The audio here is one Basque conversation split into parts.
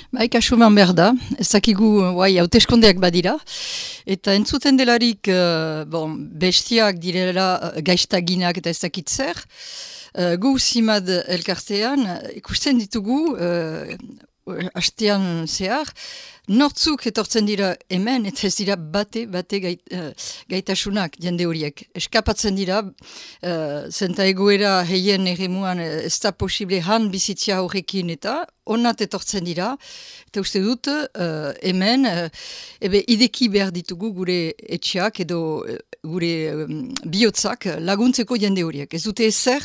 Kasuman behar da, ez dakigu hauteskundeak badira, eta entzuten delarik bestiak direla gaiztaginak eta ez dakit zer, gu Simad elkartean ikusten ditugu hastean zehar, nortzuk etortzen dira hemen, eta ez dira bate gaitasunak jende horiek. Eskapatzen dira, zenta egoera heien eremuan ez da posible han bizitzia horrekin eta onat etortzen dira, eta uste dut hemen ideki behar ditugu gure etxeak edo gure bihotzak laguntzeko jende horiek. Ez dute ezer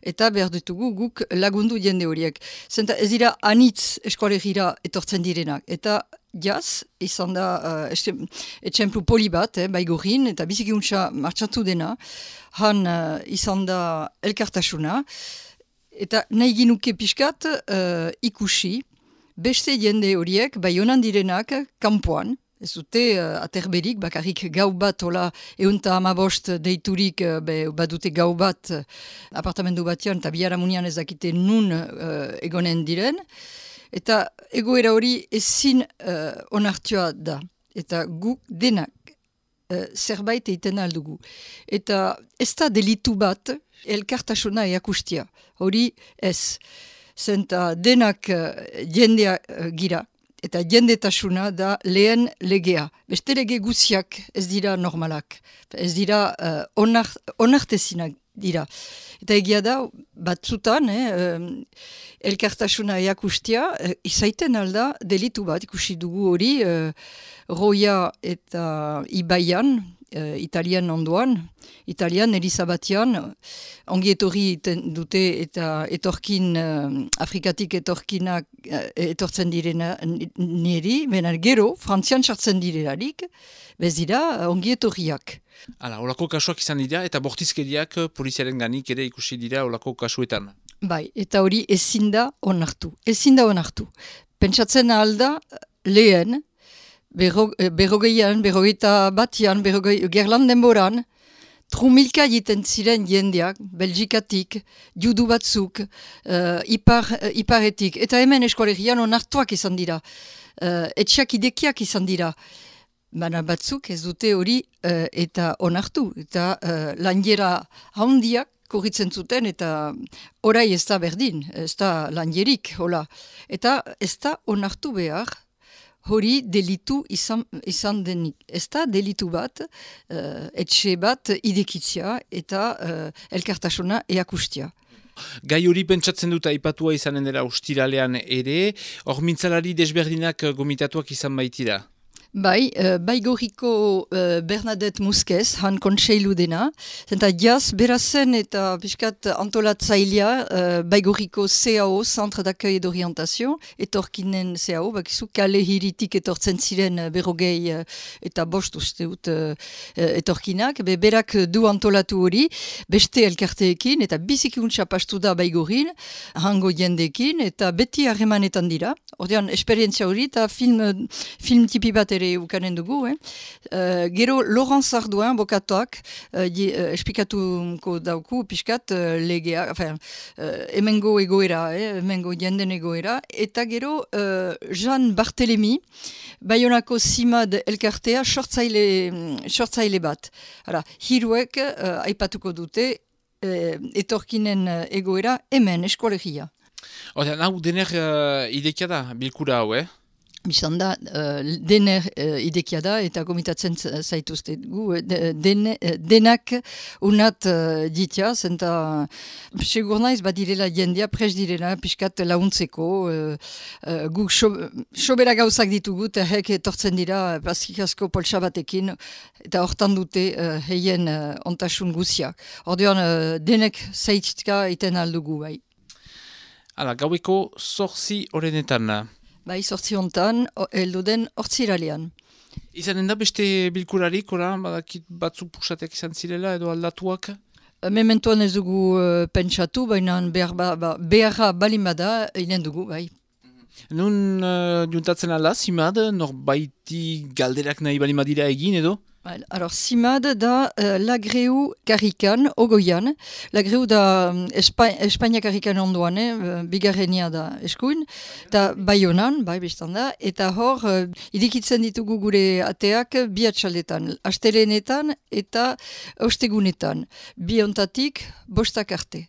eta behar ditugu guk lagundu jende horiek. Zenta ez dira anitz eskolegira etortzen direnak, eta jaz, izan da etxemplu poli bat, Baigorrin, eta bizikuntza martxatu dena, han izan da elkartasuna, eta nahi ginuke pixkat ikusi, beste jende horiek, bai honan direnak, kanpoan, ez dute aterberik, bakarrik gau bat, hola, eunta amabost deiturik, badute gau bat, apartamendu batean, eta biharamunian ez dakite nun egonen diren, eta egoera hori ezin onartua da. Eta gu denak zerbait egiten aldugu. Eta ez da delitu bat elkartasuna eakustia. Hori ez. Zenta denak jendea gira. Eta jendetasuna da lehen legea. Beste lege guziak ez dira normalak. Ez dira onartezinak dira. Eta egia da, batzutan, elkartasuna eakustia, izaiten alda delitu bat, ikusi dugu hori, Roia eta Ibaian, Italian ondoan, Italian, Elizabatian, ongi etorri dute eta etorkin, Afrikatik etorkinak etortzen direna niri, benen gero, Frantzian sartzen direlarik, bez dira ongi etorriak. Hala, olako kasuak izan dira eta bortizkeriak poliziaren ganik ere ikusi dira olako kasuetan. Bai, eta hori ezin da onartu. Ezin da onartu. Pentsatzen alda lehen, berrogeian, berrogeita batian, gerlan denboran, trumilka egiten ziren jendeak, Belgikatik, judu batzuk, iparetik, eta hemen eskolegian onartuak izan dira. Etxeak idekiak izan dira. Baina batzuk ez dute hori eta onartu. Eta lanjera handiak korritzen zuten eta orai ez da berdin, ez da lanjerik, hola. Eta ez da onartu behar hori delitu izan denik. Ez da delitu bat, etxe bat idekitzia eta elkartasuna eakustia. Gai hori pentsatzen dut aipatua izanen dela ostiralean ere, hor mintzalari desberdinak gomitatuak izan baitira. Bai, Baigorriko Bernadette Muskez, han kontseilu dena, zenta jaz berazen eta piskat antolatzailea Baigorriko CAO, Centre d'Accueil et d'Orientation, etorkinen CAO, bakizu kale hiritik etortzen ziren berrogei eta bost uste dut etorkinak, berak du antolatu hori, beste elkarteekin, eta bizikuntza pastu da Baigorrin, hango jendekin, eta beti harremanetan dira. Ordean, esperientzia hori, eta film tipi bat ere ukanen dugu. Gero, Laurence Ardoin, bokatuak, esplikatuko dauku, piskat, legea, hemengo egoera, hemengo jenden egoera, eta gero, Jean Barthélemy, Baionako Simad elkartea, sortzaile bat. Hiruek, aipatuko dute, etorkinen egoera, hemen, eskolegia. Hau dener idekia da, bilkura hau, Bizan da, dener idekia da, eta gomitatzen zaituzte gu, denak unat ditia, zenta segur naiz badirela jendea, pres direla, piskat launtzeko, guk sobera gauzak ditugu, eta hek etortzen dira, paskikasko poltsa batekin, eta hortan dute heien ontasun guziak. Ordean, denek zaitzka iten aldugu, bai. Hala, gaueko 8 horrenetan. Bai, 8 hontan, heldu den hortziralean. Izanen da beste bilkurarik, badakit batzuk puxatek izan zirela edo aldatuak? Mementoan ez dugu pentsatu, baina beharra balimada inen dugu, bai. Nun juntatzen ala, Simad, norbaiti galderak nahi balimadira egin edo? Alors, Simad da Lagreu Karrikan, Ogoian. Lagreu da Espainia Karrikan ondoan, bigarrenia da eskuin, eta Baionan, bai biztan da, eta hor, idikitzen ditugu gure ateak bi atxaldetan, astelenetan eta ostegunetan, bi ontatik bostak arte.